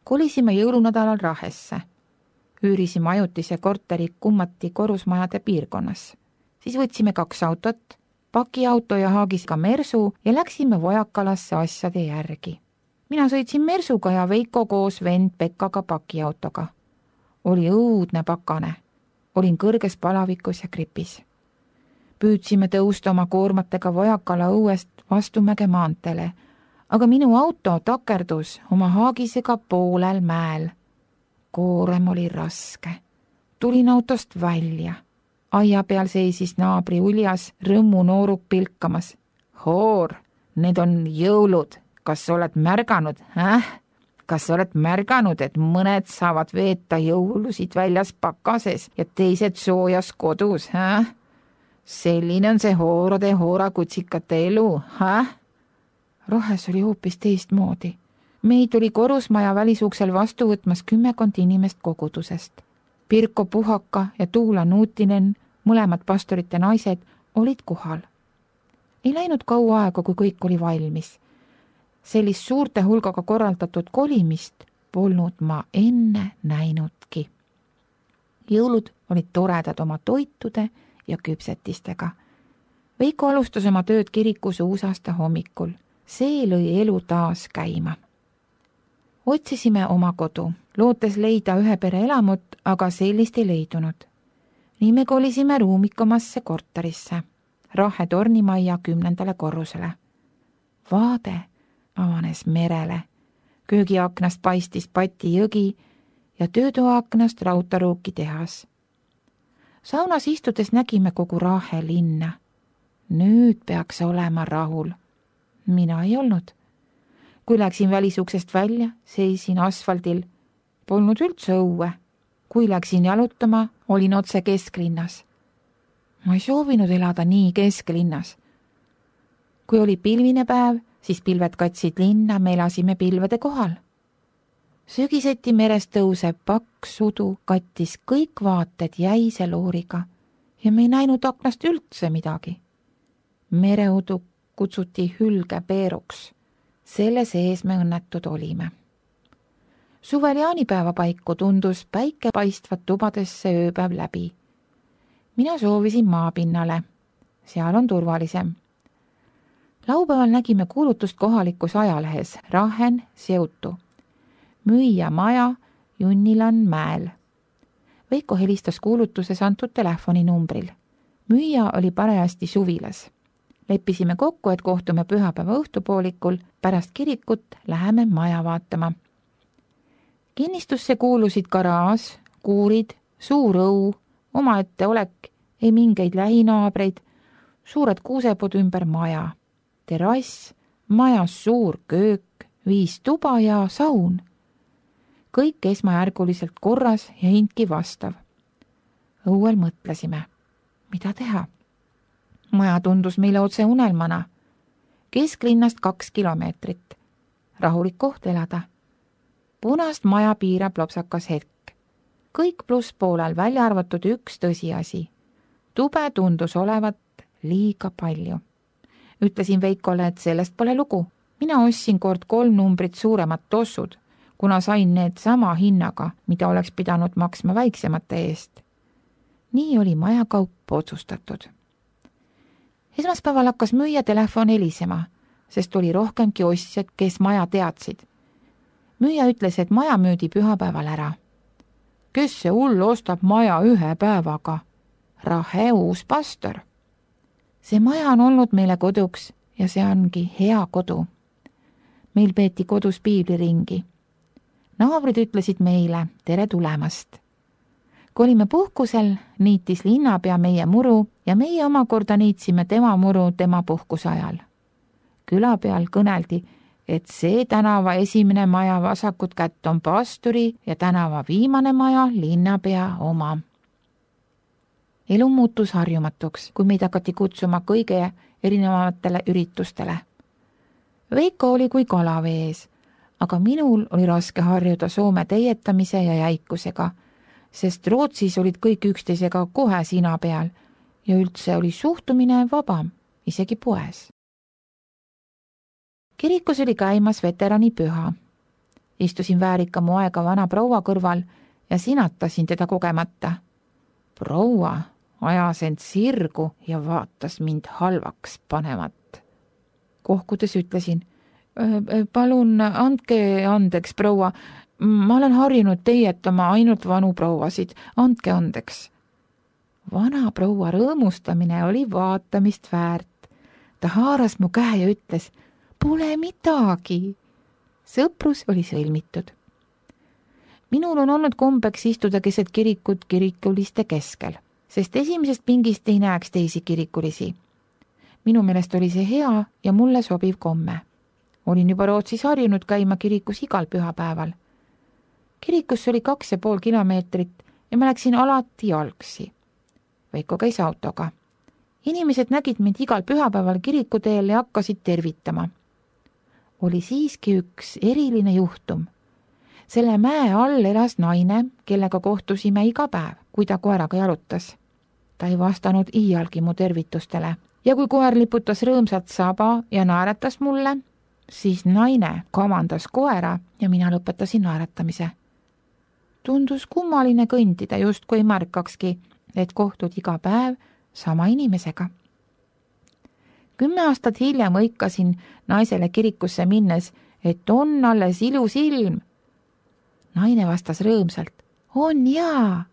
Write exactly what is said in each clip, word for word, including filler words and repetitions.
Kolisime jõulunädalal Rahesse. Üürisime ajutise korteri kummati korrusmajade piirkonnas. Siis võtsime kaks autot, pakiauto ja haagis ka Mersu ja läksime Vojakalasse asjade järgi. Mina sõitsin Mersuga ja Veiko koos vend Pekkaga pakiautoga. Oli õudne pakane. Olin kõrges palavikus ja gripis. Püüdsime tõusta oma koormatega Vojakala õuest vastumäge maantele, aga minu auto takerdus oma haagisega poolel mäel. Koorem oli raske. Tulin autost välja. Aia peal seisis naabri uljas rõmmu nooruk pilkamas. Hoor, need on jõulud. Kas oled märganud, äh? Kas oled märganud, et mõned saavad veeta jõulusid väljas pakases ja teised soojas kodus, äh? Selline on see hoorade hoorakutsikate elu, äh? Rahes oli hoopis teistmoodi. Meid oli korrusmaja välisuksel vastu võtmas kümmekond inimest kogudusest. Pirko Puhaka ja Tuula Nuutinen, mõlemad pastorite naised, olid kohal. Ei läinud kaua aega, kui kõik oli valmis. Sellist suurte hulgaga korraldatud kolimist polnud ma enne näinudki. Jõulud olid toredad oma toitude ja küpsetistega. Veiko alustas oma tööd kirikus uusaasta hommikul. See lõi elu taas käima. Otsisime oma kodu, lootes leida ühe pere elamut, aga sellist ei leidunud. Nii me kolisime ruumikomasse korterisse, Rahe tornimaja kümnendale korrusele. Vaade avanes merele, köögiaknast paistis Pati jõgi ja töötoaaknast Rautaruuki tehas. Saunas istudes nägime kogu Rahe linna. Nüüd peaks olema rahul. Mina ei olnud. Kui läksin välisuksest välja, seisin asfaldil. Polnud üldse õue. Kui läksin jalutama, olin otse kesklinnas. Ma ei soovinud elada nii kesklinnas. Kui oli pilvine päev, siis pilved katsid linna, me elasime pilvede kohal. Sügiseti merest tõuseb paks sudu, kattis kõik vaated jäise looriga ja me ei näinud aknast üldse midagi. Mereudu kutsuti hülgepeeruks. Selle sees me õnnetud olime. Suvel jaanipäeva paiku tundus päike paistvat tubadesse ööpäev läbi. Mina soovisin maapinnale. Seal on turvalisem. Laupäeval nägime kuulutust kohalikus ajalehes Rahen Seutu. Müüja maja Junnilan mäel. Veiko helistas kuulutuses antud telefoninumbril. Müüja oli parajasti suvilas. Leppisime kokku, et kohtume pühapäeva õhtupoolikul, pärast kirikut läheme maja vaatama. Kinnistusse kuulusid garaaž, kuurid, suur õu, omaette olek, ei mingeid lähinaabreid, suured kuusepod ümber maja, terrass, majas suur köök, viis tuba ja saun. Kõik esmajärguliselt korras ja hindki vastav. Õuel mõtlesime, mida teha. Maja tundus meile otse unelmana. Kesklinnast kaks kilomeetrit. Rahulik koht elada. Punast maja piirab lopsakas hetk. Kõik pluss poolel, välja arvatud üks tõsiasi. Tube tundus olevat liiga palju. Ütlesin Veikole, et sellest pole lugu. Mina ostsin kord kolm numbrit suuremad tossud, kuna sain need sama hinnaga, mida oleks pidanud maksma väiksemate eest. Nii oli majakaup otsustatud. Esmaspäeval hakkas müüja telefon helisema, sest oli rohkemki ostjad, kes maja teadsid. Müüja ütles, et maja müüdi pühapäeval ära. Kes see hull ostab maja ühe päevaga? Rahe uus pastor. See maja on olnud meile koduks ja see ongi hea kodu. Meil peeti kodus piibliringi. Naabrid ütlesid meile tere tulemast. Kui olime puhkusel, niitis linnapea meie muru ja meie omakorda niitsime tema muru tema puhkuse ajal. Küla peal kõneldi, et see tänava esimene maja vasakut kätt on pastori ja tänava viimane maja linnapea oma. Elu muutus harjumatuks, kui meid hakati kutsuma kõige erinevatele üritustele. Veiko oli kui kala vees, aga minul oli raske harjuda Soome teietamise ja jäikusega, sest Rootsis olid kõik üksteisega kohe sina peal ja üldse oli suhtumine vabam, isegi poes. Kirikus oli käimas veterani püha. Istusin väärika moega vana proua kõrval ja sinatasin teda kogemata. Proua ajas end sirgu ja vaatas mind halvaks panevat. Kohkudes ütlesin, palun andke andeks, proua, ma olen harjunud teietama ainult vanu prouasid, andke andeks. Vana proua rõõmustamine oli vaatamist väärt. Ta haaras mu käe ja ütles, pole midagi. Sõprus oli sõlmitud. Minul on olnud kombeks istuda keset kirikut kirikuliste keskel, sest esimesest pingist ei näeks teisi kirikulisi. Minu meelest oli see hea ja mulle sobiv komme. Olin juba Rootsis harjunud käima kirikus igal pühapäeval. Kirikus oli kaks ja pool kilomeetrit ja ma läksin alati jalgsi. Veiko käis autoga. Inimesed nägid mind igal pühapäeval kirikuteel ja hakkasid tervitama. Oli siiski üks eriline juhtum. Selle mäe all elas naine, kellega kohtusime iga päev, kui ta koeraga jalutas. Ta ei vastanud iialgi mu tervitustele ja kui koer liputas rõõmsalt saba ja naeratas mulle, siis naine kamandas koera ja mina lõpetasin naeratamise. Tundus kummaline kõndida, just kui märkakski, et kohtud iga päev sama inimesega. Kümme aastat hiljem õikasin naisele kirikusse minnes, et on alles ilus ilm. Naine vastas rõõmsalt, on jaa.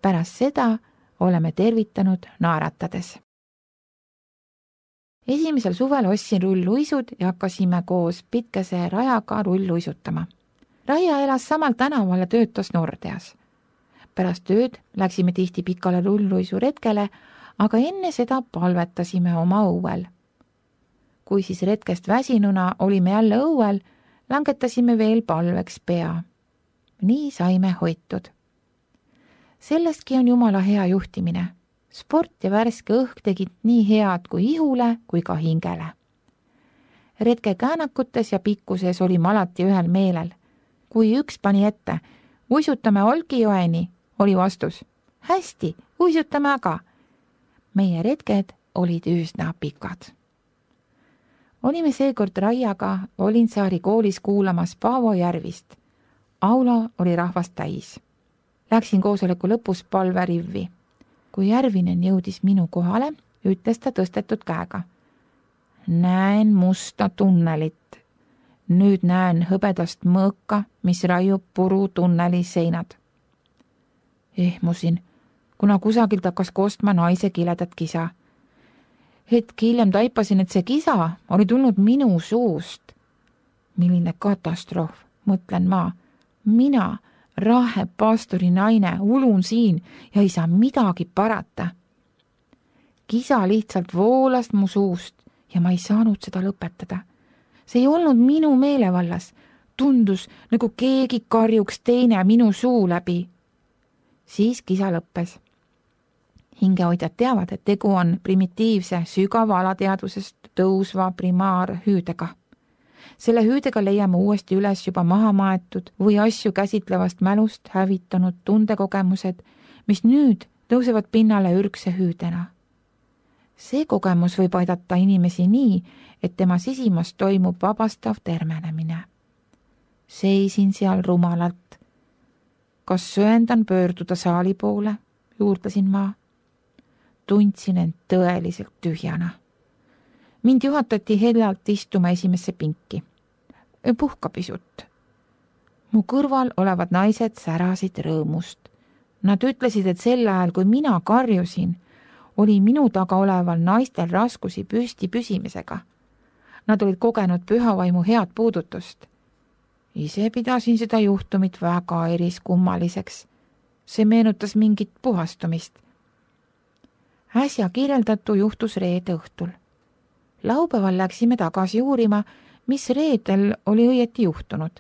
Pärast seda oleme tervitanud naeratades. Esimesel suvel ostsin rulluisud ja hakkasime koos pitkese Rajaga rulluisutama. Raia elas samal tänaval ja töötas Nordeas. Pärast tööd läksime tihti pikale rulluisuretkele, aga enne seda palvetasime oma õuel. Kui siis retkest väsinuna olime jälle õuel, langetasime veel palveks pea. Nii saime hoitud. Sellestki on Jumala hea juhtimine. Sport ja värske õhk tegid nii head kui ihule kui ka hingele. Retke käänakutes ja pikkuses olime alati ühel meelel. Kui üks pani ette, uisutame Olkijoeni, oli vastus. Hästi, uisutame aga. Meie retked olid üsna pikad. Olime seekord Raiaga Olinsaari koolis kuulamas Paavo Järvist. Aula oli rahvast täis. Läksin koosoleku lõpus palverivvi. Kui Järvinen jõudis minu kohale, ütles ta tõstetud käega. Näen musta tunnelit. Nüüd näen hõbedast mõõka, mis raiub puru tunneli seinad. Ehmusin, kuna kusagilt hakkas kostma naise kiledat kisa. Hetk hiljem taipasin, et see kisa oli tulnud minu suust. Milline katastroof, mõtlen ma. Mina, Rahe pastori naine, ulun siin ja ei saa midagi parata. Kisa lihtsalt voolas mu suust ja ma ei saanud seda lõpetada. See ei olnud minu meelevallas. Tundus, nagu keegi karjuks teine minu suu läbi. Siis kisa lõppes. Hingehoidjad teavad, et tegu on primitiivse, sügava alateadvusest tõusva primaarhüüdega. Selle hüüdega leiame uuesti üles juba maha maetud või asju käsitlevast mälust hävitanud tundekogemused, mis nüüd tõusevad pinnale ürgse hüüdena. See kogemus võib aidata inimesi nii, et tema sisimas toimub vabastav termenemine. Seisin seal rumalalt. Kas sööndan pöörduda saali poole, juurdlesin ma. Tundsin end tõeliselt tühjana. Mind juhatati heljalt istuma esimesse pinki. Puhka pisut. Mu kõrval olevad naised särasid rõõmust. Nad ütlesid, et sel ajal, kui mina karjusin, oli minu taga oleval naistel raskusi püsti püsimisega. Nad olid kogenud pühavaimu head puudutust. Ise pidasin seda juhtumit väga eriskummaliseks. See meenutas mingit puhastumist. Äsja kirjeldatu juhtus reede õhtul. Laupäeval läksime tagasi uurima, mis reedel oli õieti juhtunud.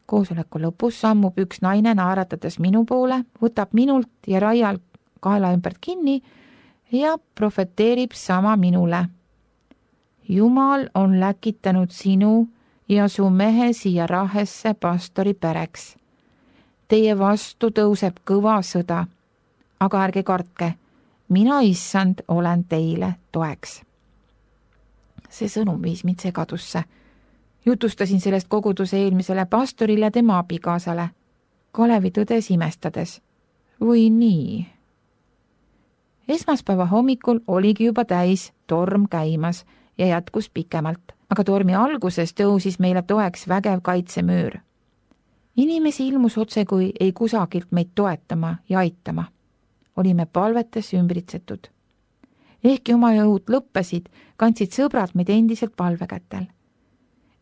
Koosoleku lõpus sammub üks naine naeratades minu poole, võtab minult ja Raial kaela ümbert kinni ja profeteerib sama minule. Jumal on läkitanud sinu ja su mehe siia Rahesse pastori pereks. Teie vastu tõuseb kõva sõda, aga ärge kartke, mina issand olen teile toeks. See sõnum viis mind segadusse. Jutustasin sellest koguduse eelmisele pastorile ja tema abikaasale. Kalevi tõdes imestades. Või nii? Esmaspäeva hommikul oligi juba täis torm käimas ja jätkus pikemalt, aga tormi alguses tõusis meile toeks vägev kaitsemüür. Inimesi ilmus otse kui ei kusagilt meid toetama ja aitama. Olime palvetes ümbritsetud. Ehkki oma jõud lõppesid, kandsid sõbrad meid endiselt palvekätel.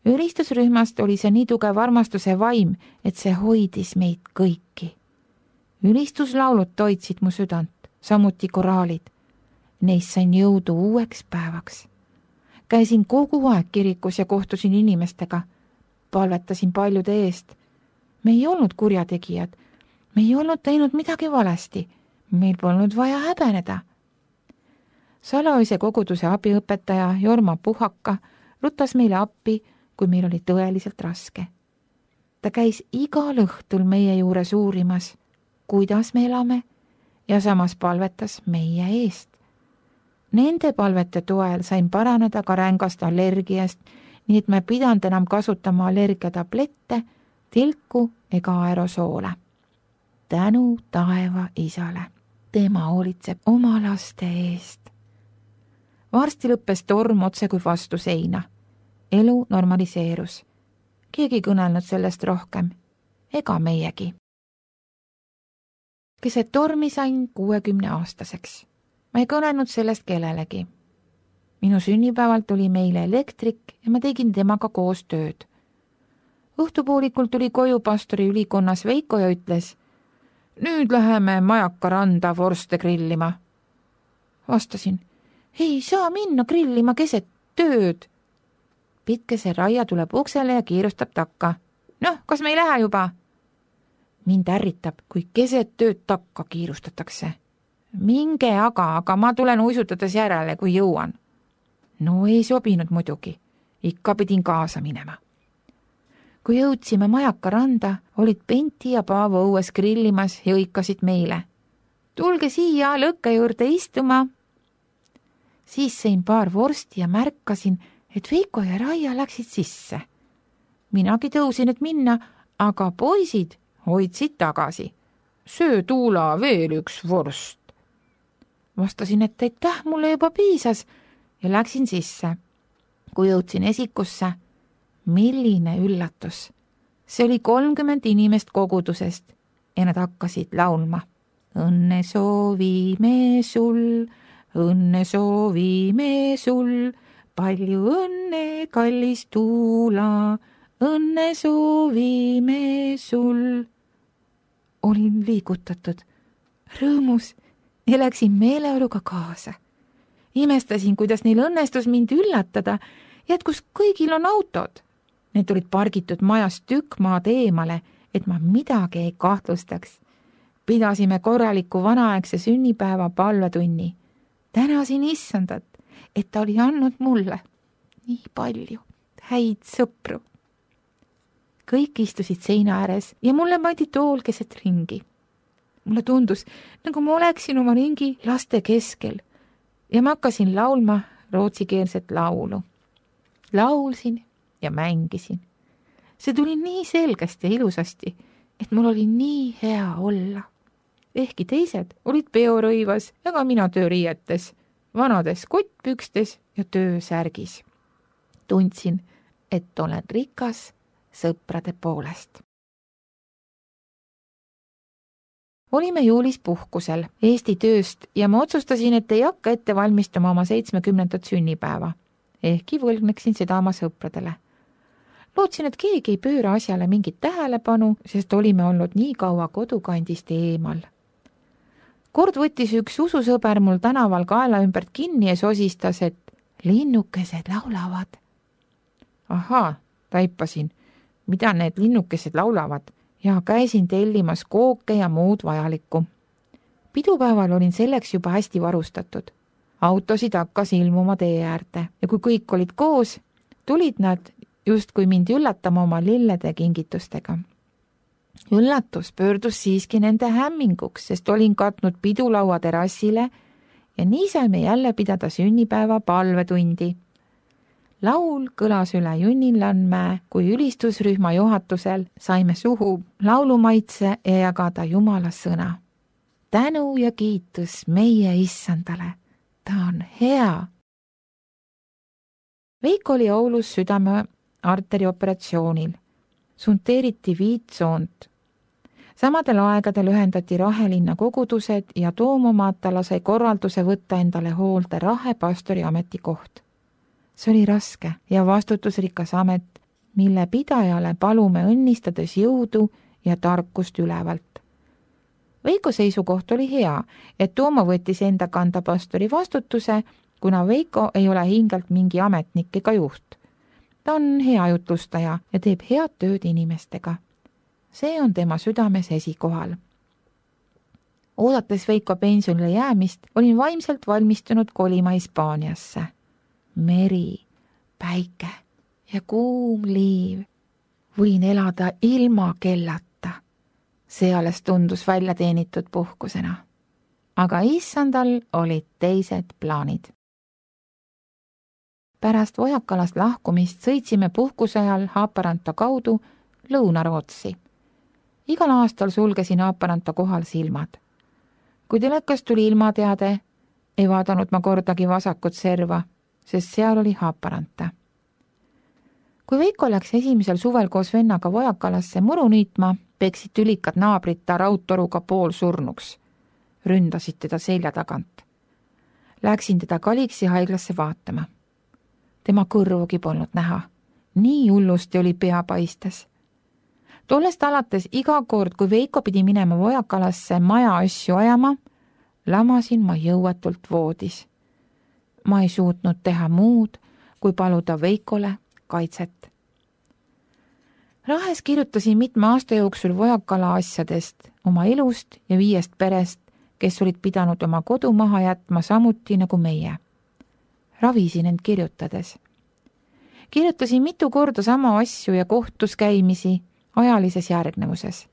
Ülistusrühmast oli see nii tugev armastuse vaim, et see hoidis meid kõiki. Ülistuslaulud toitsid mu südant, samuti koraalid. Neist sain jõudu uueks päevaks. Käisin kogu aeg kirikus ja kohtusin inimestega. Palvetasin paljude eest. Me ei olnud kurjategijad. Me ei olnud teinud midagi valesti. Meil polnud vaja häbeneda. Salaöise koguduse abiõpetaja Jorma Puhaka rutas meile appi, kui meil oli tõeliselt raske. Ta käis igal õhtul meie juures uurimas, kuidas me elame, ja samas palvetas meie eest. Nende palvete toel sain paraneda ka rängast allergiast, nii et me pidanud enam kasutama allergiatablette, tilku ega aerosoole. Tänu taeva isale. Tema hoolitseb oma laste eest. Varsti lõppes torm otse kui vastu seina. Elu normaliseerus. Keegi kõnelnud sellest rohkem. Ega meiegi. Keset tormi sain kuuekümne aastaseks. Ma ei kõnelnud sellest kellelegi. Minu sünnipäeval tuli meile elektrik ja ma tegin temaga koos tööd. Õhtupoolikul tuli koju pastori ülikonnas Veiko ja ütles, nüüd läheme Majaka randa vorste grillima. Vastasin, ei saa minna grillima keset tööd. Pitkese raia tuleb uksele ja kiirustab takka. Noh, kas me ei lähe juba? Mind ärritab, kui keset tööd takka kiirustatakse. Minge aga, aga ma tulen uisutades järele, kui jõuan. No ei sobinud muidugi. Ikka pidin kaasa minema. Kui jõudsime Majaka randa, olid Penti ja Paavo õues grillimas ja õikasid meile. Tulge siia lõkke juurde istuma. Siis sõin paar vorsti ja märkasin, et Veiko ja Raia läksid sisse. Minagi tõusin, et minna, aga poisid hoidsid tagasi. Söö Tuula veel üks vorst. Vastasin, et aitäh, mulle juba piisas ja läksin sisse. Kui jõudsin esikusse, milline üllatus. See oli kolmkümmend inimest kogudusest ja nad hakkasid laulma. Õnne soovime sul, õnne soovime sul, palju õnne, kallis Tuula, õnne soovime sul. Olin liigutatud, rõõmus ja läksin meeleoluga kaasa. Imestasin, kuidas neil õnnestus mind üllatada, jätkus kõigil on autod. Need olid pargitud majast tükk maad eemale, et ma midagi ei kahtlustaks. Pidasime korraliku vanaaegse sünnipäeva palvetunni. Tänasin issandat, et ta oli andnud mulle nii palju häid sõpru. Kõik istusid seina ääres ja mulle pandi tool keset ringi. Mulle tundus, nagu ma oleksin oma ringi laste keskel ja ma hakkasin laulma rootsikeelset laulu. Laulsin ja mängisin. See tuli nii selgesti ja ilusasti, et mul oli nii hea olla. Ehkki teised olid peorõivas ja ka mina tööriietes, vanades kottpükstes ja töösärgis. Tundsin, et olen rikas sõprade poolest. Olime juulis puhkusel Eesti tööst ja ma otsustasin, et ei hakka ette valmistama oma seitsmekümnendat sünnipäeva. Ehkki võlgneksin seda oma sõpradele. Lootsin, et keegi ei pööra asjale mingit tähelepanu, sest olime olnud nii kaua kodukandist eemal. Kord võttis üks ususõber mul tänaval kaela ümbert kinni ja sosistas, et linnukesed laulavad. Ahaa, taipasin, mida need linnukesed laulavad ja käisin tellimas kooke ja muud vajalikku. Pidupäeval olin selleks juba hästi varustatud. Autosid hakkas ilmuma tee äärde ja kui kõik olid koos, tulid nad justkui mind üllatama oma lillede kingitustega. Üllatus pöördus siiski nende hämminguks, sest olin katnud pidulaua terassile ja nii saime jälle pidada sünnipäeva palvetundi. laul kõlas üle Junnilanmäe, kui ülistusrühma juhatusel saime suhu laulumaitse ja jagada Jumala sõna. Tänu ja kiitus meie issandale, ta on hea. Veiko oli Oulus südame arterioperatsioonil. Sunteeriti viitsoont. Samadel aegadel ühendati Rahelinna kogudused ja Toomo Matala sai korralduse võtta endale hoolde Rahe pastori ametikoht. See oli raske ja vastutusrikas amet, mille pidajale palume õnnistades jõudu ja tarkust ülevalt. Veiko seisukoht oli hea, et Toomo võttis enda kanda pastori vastutuse, kuna Veiko ei ole hingelt mingi ametnik ega juht. Ta on hea jutlustaja ja teeb head tööd inimestega. See on tema südames esikohal. Oodates Veiko pensionile jäämist, olin vaimselt valmistunud kolima Hispaaniasse. Meri, päike ja kuum liiv. Võin elada ilma kellata. See alles tundus välja teenitud puhkusena. Aga issandal olid teised plaanid. Pärast Vojakalast lahkumist sõitsime puhkuse ajal Haaparanta kaudu Lõuna-Rootsi. Igal aastal sulgesin Haaparanta kohal silmad. Kui telekast tuli ilmateade, ei vaadanud ma kordagi vasakut serva, sest seal oli Haaparanta. Kui Veiko läks esimesel suvel koos vennaga Vojakalasse muru niitma, peksid tülikad naabrid ta raudtoruga pool surnuks. Ründasid teda selja tagant. Läksin teda Kaliksi haiglasse vaatama. Tema kõrvugi polnud näha. Nii hullusti oli pea paistes. Tollest alates iga kord, kui Veiko pidi minema Vojakalasse maja asju ajama, lamasin ma jõuetult voodis. Ma ei suutnud teha muud, kui paluda Veikole kaitset. Rahes kirjutasin mitme aasta jooksul Vojakala asjadest, oma elust ja viiest perest, kes olid pidanud oma kodu maha jätma samuti nagu meie. Ravisin end kirjutades. Kirjutasin mitu korda sama asju ja kohtus käimisi ajalises järgnevuses.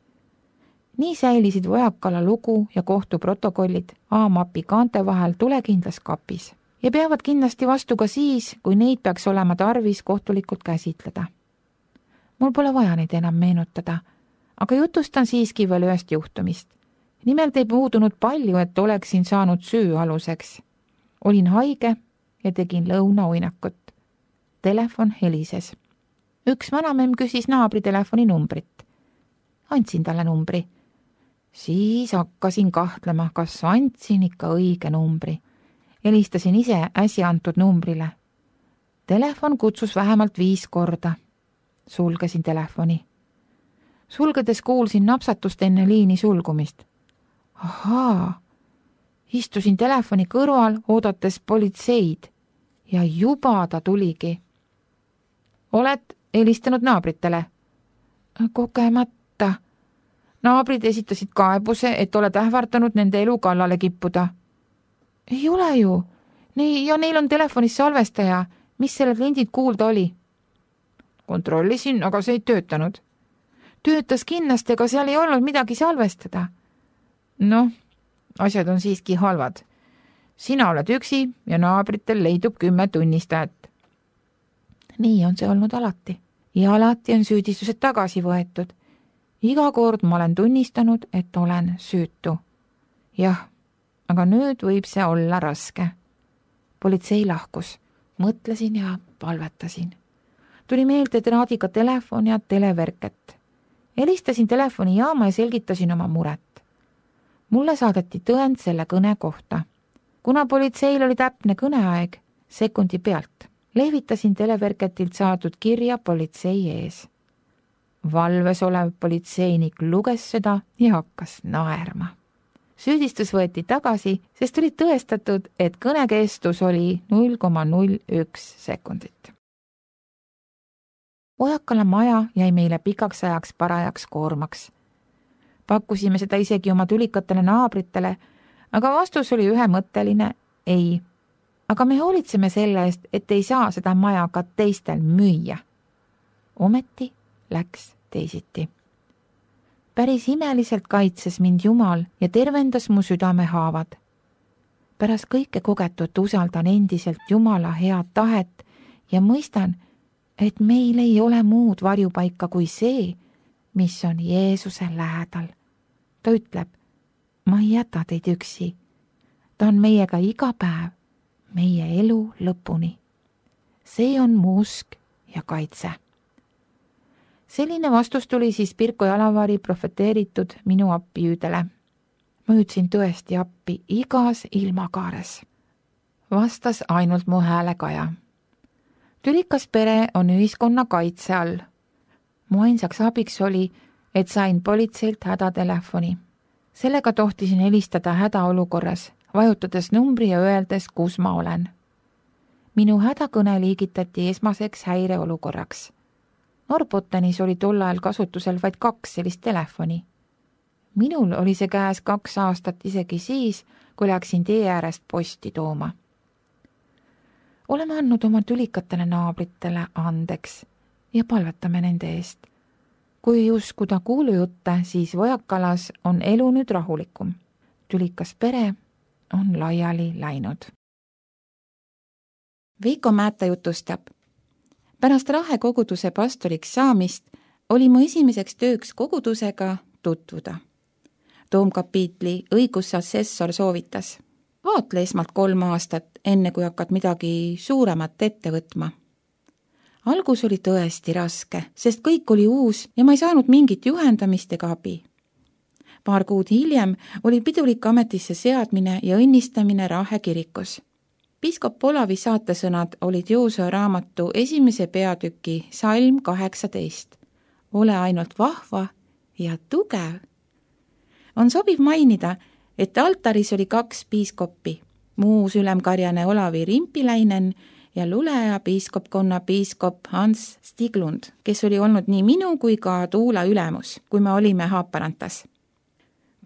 Nii säilisid Vojakala lugu ja kohtuprotokollid A-mapi kaante vahel tulekindlas kapis ja peavad kindlasti vastu ka siis, kui neid peaks olema tarvis kohtulikult käsitleda. Mul pole vaja neid enam meenutada, aga jutustan siiski veel ühest juhtumist. Nimelt ei puudunud palju, et oleksin saanud süü aluseks. Olin haige ja tegin lõunauinakut. Telefon helises. Üks vanamemm küsis naabri telefoni numbrit. Andsin talle numbri. Siis hakkasin kahtlema, kas andsin ikka õige numbri. Helistasin ise äsja antud numbrile. Telefon kutsus vähemalt viis korda. Sulgesin telefoni. Sulgedes kuulsin napsatust enne liini sulgumist. Ahaa, istusin telefoni kõrval, oodates politseid ja juba ta tuligi. Oled helistanud naabritele? Kogemata. Naabrid esitasid kaebuse, et oled ähvardanud nende elu kallale kippuda. Ei ole ju. Nii, ja neil on telefonis salvestaja. Mis sellel lindid kuulda oli? Kontrollisin, aga see ei töötanud. Töötas kindlasti, aga seal ei olnud midagi salvestada. Noh, asjad on siiski halvad. Sina oled üksi ja naabritel leidub kümme tunnistajat. Nii on see olnud alati. Ja alati on süüdistused tagasi võetud. Iga kord ma olen tunnistanud, et olen süütu. Jah, aga nüüd võib see olla raske. Politsei lahkus. Mõtlesin ja palvetasin. Tuli meelde traadiga telefon ja televerket. Helistasin telefoni jaama ja selgitasin oma muret. Mulle saadeti tõend selle kõne kohta. Kuna politseil oli täpne kõneaeg, sekundi pealt, lehvitasin televerketilt saadud kirja politsei ees. Valves olev politseinik luges seda ja hakkas naerma. Süüdistus võeti tagasi, sest oli tõestatud, et kõnekestus oli null koma null üks sekundit. Vojakala maja jäi meile pikaks ajaks parajaks koormaks. Pakkusime seda isegi oma tülikatele naabritele, aga vastus oli ühemõtteline ei. Aga me hoolitseme selle eest, et ei saa seda maja ka teistel müüa. Ometi läks teisiti. Päris imeliselt kaitses mind Jumal ja tervendas mu südame haavad. Pärast kõike kogetut usaldan endiselt Jumala head tahet ja mõistan, et meil ei ole muud varjupaika kui see, mis on Jeesuse lähedal. Ta ütleb, ma ei jäta teid üksi. Ta on meiega iga päev, meie elu lõpuni. See on mu usk ja kaitse. Selline vastus tuli siis Pirko Jalavari profeteeritud minu appihüüdele. Ma hüüdsin tõesti appi igas ilmakaares. Vastas ainult mu häälekaja. Tülikas pere on ühiskonna kaitse all. Mu ainsaks abiks oli, et sain politseilt hädatelefoni. Sellega tohtisin helistada hädaolukorras, vajutades numbri ja öeldes, kus ma olen. Minu hädakõne liigitati esmaseks häireolukorraks. Norrbottenis oli tol ajal kasutusel vaid kaks sellist telefoni. Minul oli see käes kaks aastat isegi siis, kui läksin tee äärest posti tooma. Oleme andnud oma tülikatele naabritele andeks ja palvetame nende eest. Kui uskuda kuulujutte, siis Vojakalas on elu nüüd rahulikum. Tülikas pere on laiali läinud. Veiko Määta jutustab. Pärast Rahe koguduse pastoriks saamist oli mu esimeseks tööks kogudusega tutvuda. Toomkapiitli õigusassessor soovitas. Vaatle esmalt kolm aastat, enne kui hakkad midagi suuremat ette võtma. Algus oli tõesti raske, sest kõik oli uus ja ma ei saanud mingit juhendamist ega abi. Paar kuud hiljem oli pidulik ametisse seadmine ja õnnistamine Rahe kirikus. Piiskop Olavi saatesõnad olid Joosua raamatu esimese peatüki salm kaheksateist. Ole ainult vahva ja tugev. On sobiv mainida, et altaris oli kaks piiskoppi, muus ülemkarjane Olavi Rimpiläinen ja luleja piiskopkonna piiskop Hans Stiglund, kes oli olnud nii minu kui ka Tuula ülemus, kui me olime Haaparantas.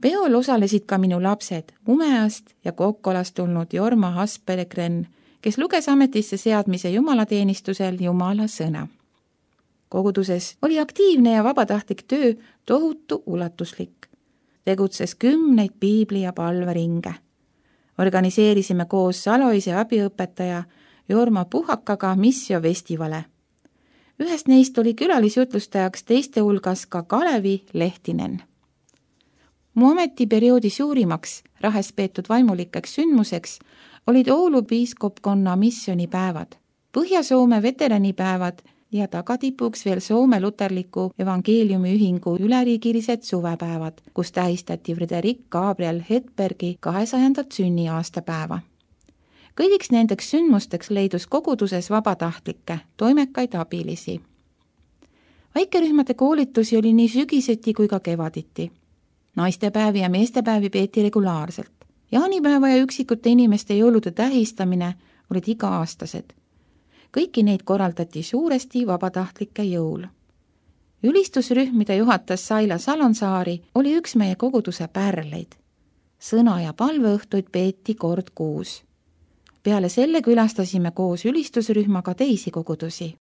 Peol osalesid ka minu lapsed Umeast ja Kokkolast tulnud Jorma Haspelegren, kes luges ametisse seadmise jumalateenistusel Jumala sõna. Koguduses oli aktiivne ja vabatahtlik töö tohutu ulatuslik. Tegutses kümneid piibli- ja palveringe. Organiseerisime koos Saloise abiõpetaja Jorma Puhakaga missiofestivale. Ühest neist oli külalisjutlustajaks teiste hulgas ka Kalevi Lehtinen. Mu ametiperioodi suurimaks Rahes peetud vaimulikeks sündmuseks olid Oulu piiskopkonna missioonipäevad, Põhja-Soome veteranipäevad ja tagatipuks veel Soome luterliku evangeeliumiühingu üleriigilised suvepäevad, kus tähistati Frederik Gabriel Hedbergi kahesajandat sünniaastapäeva. Kõigiks nendeks sündmusteks leidus koguduses vabatahtlikke, toimekaid abilisi. Väikerühmade koolitusi oli nii sügiseti kui ka kevaditi. Naistepäevi ja meestepäevi peeti regulaarselt. Jaanipäeva ja üksikute inimeste jõulude tähistamine olid iga-aastased. Kõiki neid korraldati suuresti vabatahtlike jõul. Ülistusrühm, mida juhatas Saila Salonsaari, oli üks meie koguduse pärleid. Sõna- ja palveõhtuid peeti kord kuus. Peale selle külastasime koos ülistusrühmaga teisi kogudusi.